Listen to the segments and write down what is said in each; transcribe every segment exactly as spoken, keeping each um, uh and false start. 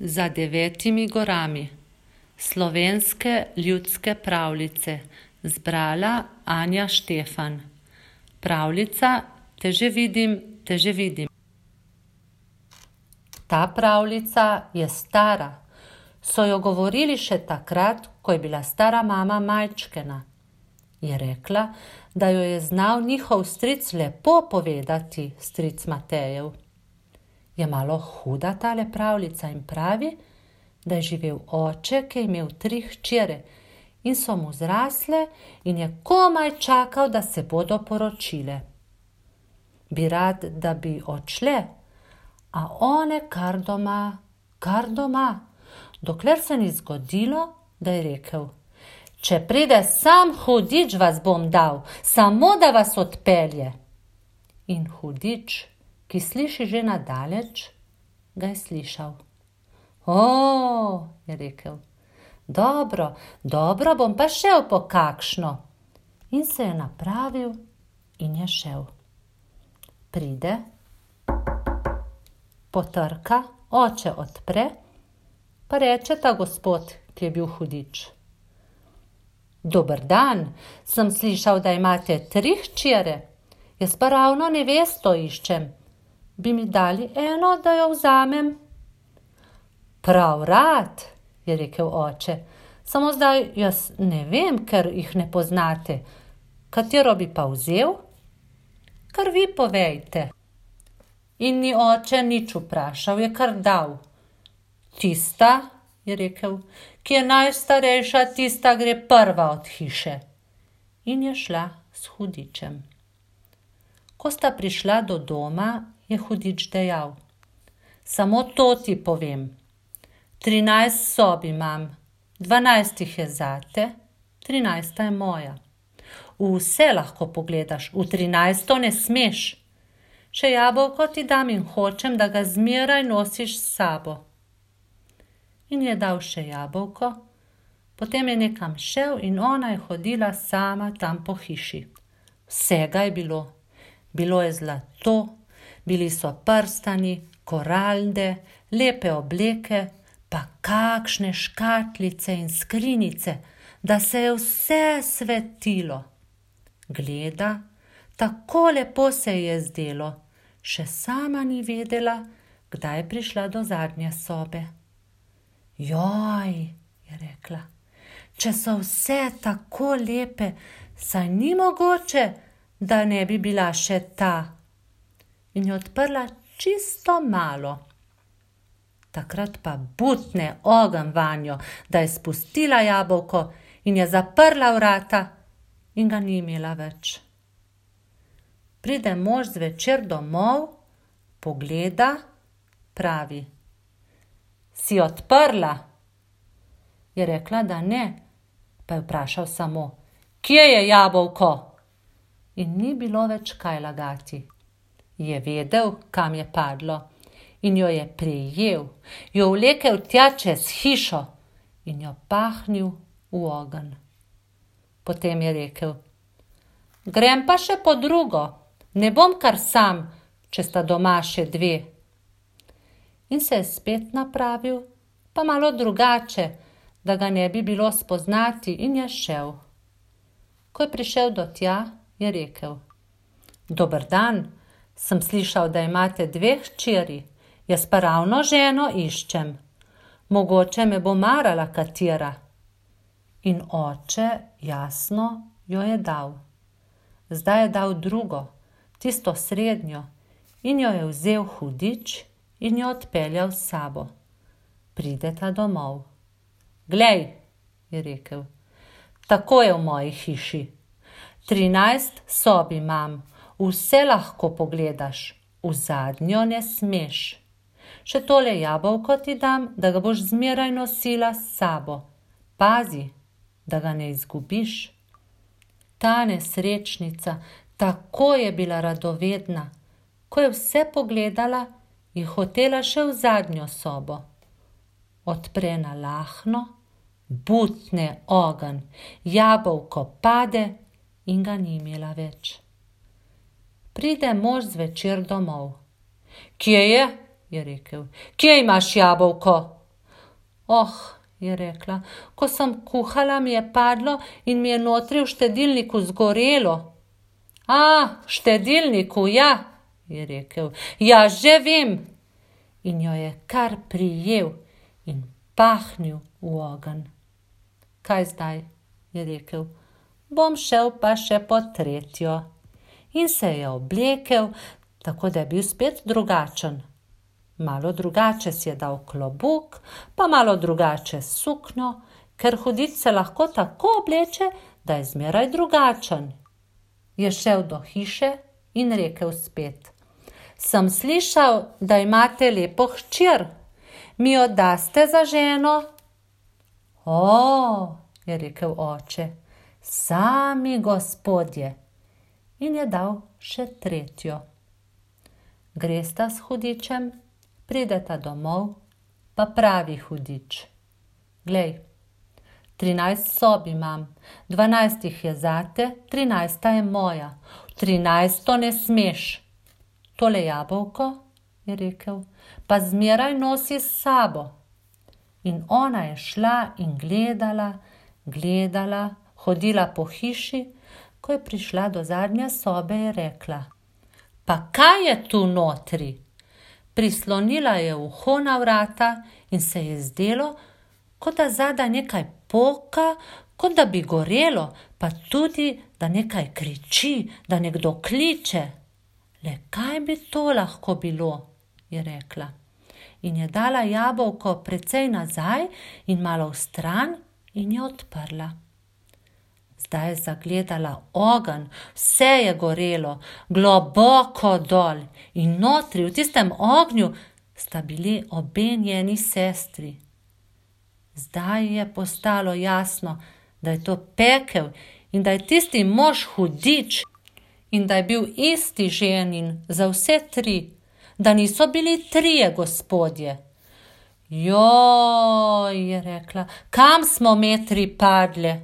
Za devetimi gorami. Slovenske ljudske pravljice. Zbrala Anja Štefan. Pravljica Te že vidim, te že vidim. Ta pravljica je stara. So jo govorili še takrat, ko je bila stara mama majčkena. Je rekla, da jo je znal njihov stric lepo povedati, stric Matejev. Je malo huda tale pravljica in pravi, da je živel oče, ki je imel tri hčere in so mu zrasle in je komaj čakal, da se bodo poročile. Bi rad, da bi odšle, a one kar doma, kar doma, dokler se ni zgodilo, da je rekel: Če pride sam hudič, vas bom dal, samo da vas odpelje. In hudič, ki sliši že nadaleč, ga je slišal. O, je rekel, dobro, dobro, bom pa šel po kakšno. In se je napravil in je šel. Pride, potrka, oče odpre, pa reče ta gospod, ki je bil hudič: Dober dan, sem slišal, da imate tri hčere, jaz pa ravno nevesto iščem. Bi mi dali eno, da jo vzamem? Prav rad, je rekel oče, samo zdaj jaz ne vem, ker jih ne poznate. Katero bi pa vzel? Kar vi povejte. In ni oče nič vprašal, je kar dal. Tista, je rekel, ki je najstarejša, tista gre prva od hiše. In je šla s hudičem. Ko sta prišla do doma, je hudič dejal: Samo to ti povem. Trinajst sob imam, dvanajst jih je zate, trinajsta je moja. Vse lahko pogledaš, v trinajsto ne smeš. Še jabolko ti dam in hočem, da ga zmeraj nosiš s sabo. In je dal še jabolko, potem je nekam šel in ona je hodila sama tam po hiši. Vsega je bilo. Bilo je zlato, bili so prstani, koralde, lepe obleke, pa kakšne škatlice in skrinjice, da se je vse svetilo. Gleda, tako lepo se ji je zdelo, še sama ni vedela, kdaj je prišla do zadnje sobe. Joj, je rekla, če so vse tako lepe, saj ni mogoče, da ne bi bila še ta. In je odprla čisto malo. Takrat pa butne ogenj vanjo, da je spustila jabolko in je zaprla vrata in ga ni imela več. Pride mož zvečer domov, pogleda, pravi: Si odprla? Je rekla, da ne, pa je vprašal samo: Kje je jabolko? In ni bilo več kaj lagati. Je vedel, kam je padlo, in jo je prijel, jo vlekel tja čez hišo in jo pahnil v ogenj. Potem je rekel: Grem pa še po drugo, ne bom kar sam, če sta doma še dve. In se je spet napravil, pa malo drugače, da ga ne bi bilo spoznati, in je šel. Ko je prišel do tja, je rekel: Dober dan, sem slišal, da imate dve hčeri, jaz pa ravno ženo iščem. Mogoče me bo marala katera. In oče, jasno, jo je dal. Zdaj je dal drugo, tisto srednjo, in jo je vzel hudič in jo odpeljal s sabo. Prideta domov. Glej, je rekel, tako je v moji hiši. Trinajst sob imam, vse lahko pogledaš, v zadnjo ne smeš. Še tole jabolko ti dam, da ga boš zmeraj nosila s sabo. Pazi, da ga ne izgubiš. Ta nesrečnica, tako je bila radovedna. Ko je vse pogledala, je hotela še v zadnjo sobo. Odpre na lahno, butne ogenj, jabolko pade in ga ni imela več. Pride mož zvečer domov. Kje je? Je rekel. Kje imaš jabolko? Oh, je rekla, ko sem kuhala, mi je padlo in mi je notri v štedilniku zgorelo. A, v štedilniku, ja, je rekel, ja, že vem. In jo je kar prijel in pahnil v ogenj. Kaj zdaj, je rekel, bom šel pa še po tretjo. In se je oblekel, tako da je bil spet drugačen. Malo drugače si je dal klobuk, pa malo drugače suknjo, ker hudič se lahko tako obleče, da je zmeraj drugačen. Je šel do hiše in rekel spet, sem slišal, da imate lepo hčer, mi jo daste za ženo? O, je rekel oče, sami gospodje. In je dal še tretjo. Gresta s hudičem, prideta domov, pa pravi hudič. Glej, trinajst sob imam, dvanajst jih je zate, trinajsta je moja. V trinajsto ne smeš. Tole jabolko, je rekel, pa zmeraj nosi s sabo. In ona je šla in gledala, gledala, hodila po hiši, ko je prišla do zadnje sobe, je rekla, pa kaj je tu notri? Prislonila je uho na vrata in se je zdelo, kot da zadaj nekaj poka, kot da bi gorelo, pa tudi, da nekaj kriči, da nekdo kliče. Le kaj bi to lahko bilo, je rekla. In je dala jabolko precej nazaj in malo vstran in je odprla. Zdaj je zagledala ogenj, vse je gorelo, globoko dol in notri v tistem ognju sta bili obe njeni sestri. Zdaj je postalo jasno, da je to pekel in da je tisti mož hudič in da je bil isti ženin za vse tri, da niso bili trije gospodje. Joj, je rekla, kam smo metri padle?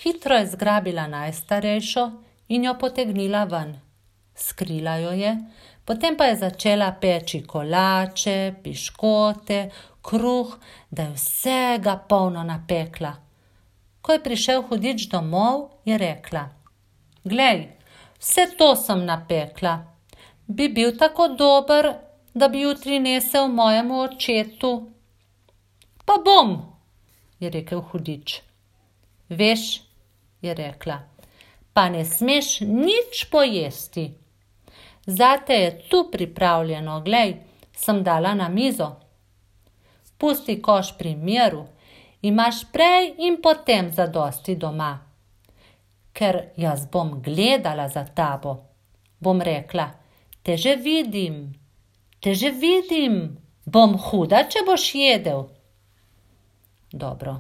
Hitro je zgrabila najstarejšo in jo potegnila ven. Skrila jo je, potem pa je začela peči kolače, piškote, kruh, da je vsega polno napekla. Ko je prišel hudič domov, je rekla, glej, vse to sem napekla. Bi bil tako dober, da bi jutri nesel mojemu očetu? Pa bom, je rekel hudič. Veš, je rekla, pa ne smeš nič pojesti. Zate je tu pripravljeno, glej, sem dala na mizo. Pusti koš pri miru, imaš prej in potem zadosti doma. Ker jaz bom gledala za tabo, bom rekla, te že vidim, te že vidim, bom huda, če boš jedel. Dobro.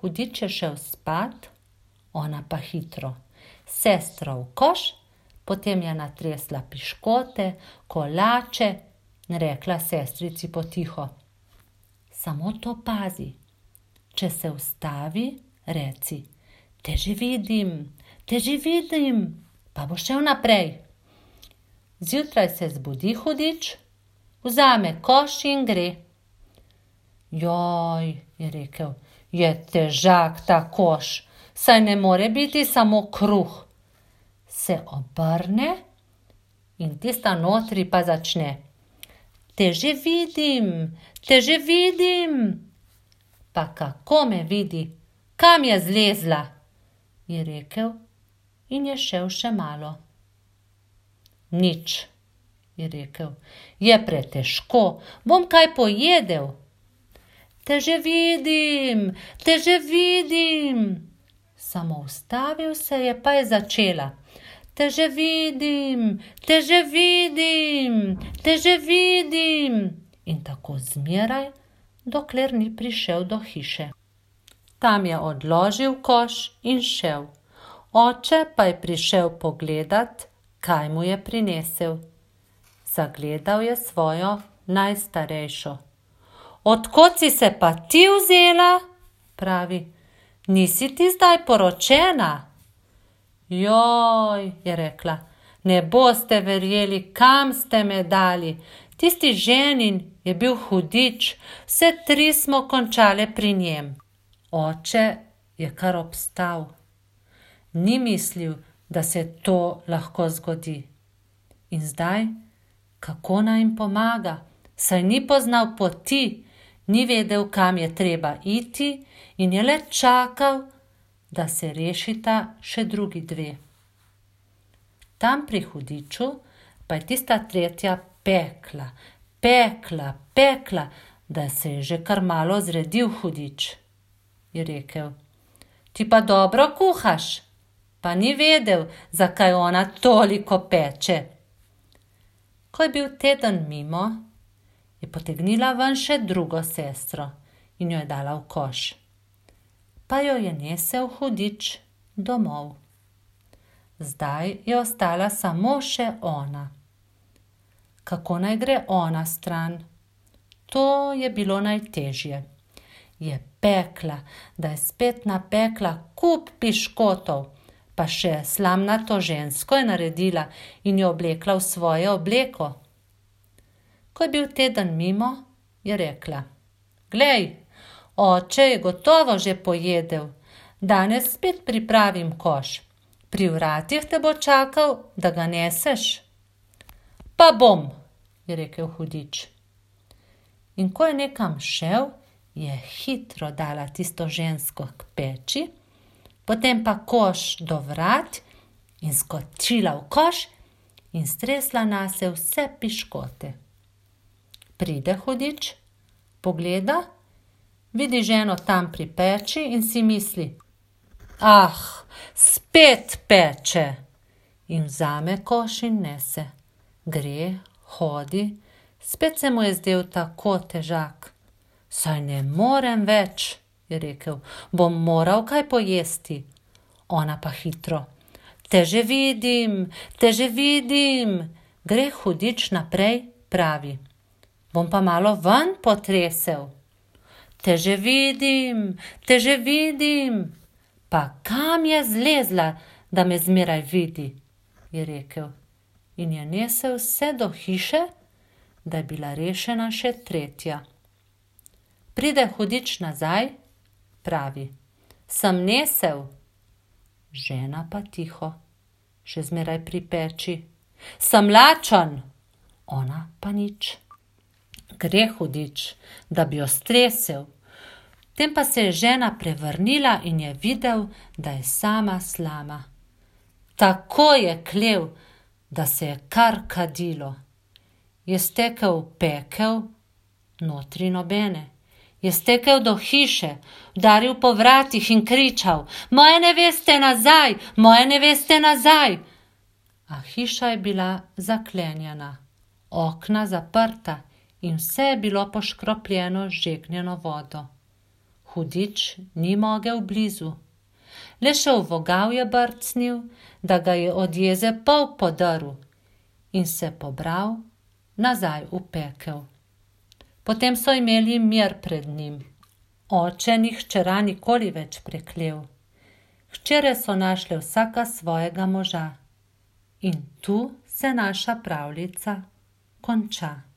Hudič je šel spat, ona pa hitro. Sestra v koš, potem je natresla piškote, kolače in rekla sestrici potiho. Samo to pazi, če se ustavi, reci, te že vidim, te že vidim, pa bo šel naprej. Zjutraj se zbudi hudič, vzame koš in gre. Joj, je rekel, je težak ta koš, saj ne more biti samo kruh. Se obrne in tista notri pa začne. Te že vidim, te že vidim. Pa kako me vidi, kam je zlezla, je rekel in je šel še malo. Nič, je rekel, je pretežko, bom kaj pojedel. Te že vidim, te že vidim. Samo ustavil se je, pa je začela. Te že vidim, te že vidim, te že vidim. In tako zmeraj, dokler ni prišel do hiše. Tam je odložil koš in šel. Oče pa je prišel pogledat, kaj mu je prinesel. Zagledal je svojo najstarejšo. Odkot si se pa ti vzela? Pravi, nisi ti zdaj poročena? Joj, je rekla, ne boste verjeli, kam ste me dali. Tisti ženin je bil hudič, vse tri smo končale pri njem. Oče je kar obstal. Ni mislil, da se to lahko zgodi. In zdaj, kako naj jim pomaga, saj ni poznal poti, ni vedel, kam je treba iti in je le čakal, da se rešita še drugi dve. Tam pri hudiču pa je tista tretja pekla, pekla, pekla, da se je že kar malo zredil hudič. Je rekel: "Ti pa dobro kuhaš." Pa ni vedel, zakaj ona toliko peče. Ko je bil teden mimo, je potegnila ven še drugo sestro in jo je dala v koš. Pa jo je nesel hudič domov. Zdaj je ostala samo še ona. Kako naj gre ona stran? To je bilo najtežje. Je pekla, da je spet napekla kup piškotov, pa še slamnato žensko je naredila in jo oblekla v svojo obleko. Ko je bil teden mimo, je rekla: "Glej, oče je gotovo že pojedel, danes spet pripravim koš. Pri vratih te bo čakal, da ga neseš." "Pa bom," je rekel hudič. In ko je nekam šel, je hitro dala tisto žensko k peči, potem pa koš do vrat in skočila v koš in stresla nase vse piškote. Pride hudič, pogleda, vidi ženo tam pri peči in si misli: "Ah, spet peče." In vzame koš in nese. Gre, hodi, spet se mu je zdel tako težak. "Saj ne morem več," je rekel, "bom moral kaj pojesti." Ona pa hitro: "Te že vidim, te že vidim." Gre hudič naprej, pravi: "Bom pa malo ven potresel." "Te že vidim, te že vidim." "Pa kam je zlezla, da me zmeraj vidi?" je rekel. In je nesel vse do hiše, da je bila rešena še tretja. Pride hudič nazaj, pravi: "Sem nesel." Žena pa tiho, še zmeraj pri peči: "Sem lačen." Ona pa nič. Gre hudič, da bi jo stresel. Potem pa se je žena prevrnila in je videl, da je sama slama. Tako je klel, da se je kar kadilo. Je stekel v pekel, notri nobene. Je stekel do hiše, udaril po vratih in kričal: "Moje neveste nazaj, moje neveste nazaj!" A hiša je bila zaklenjena, okna zaprta in vse je bilo poškropljeno z žegnjeno vodo. Hudič ni mogel blizu. Le še v vogal je brcnil, da ga je od jeze pol podrl in se pobral nazaj v pekel. Potem so imeli mir pred njim. Oče ni hčera nikoli več preklel. Hčere so našle vsaka svojega moža. In tu se naša pravljica konča.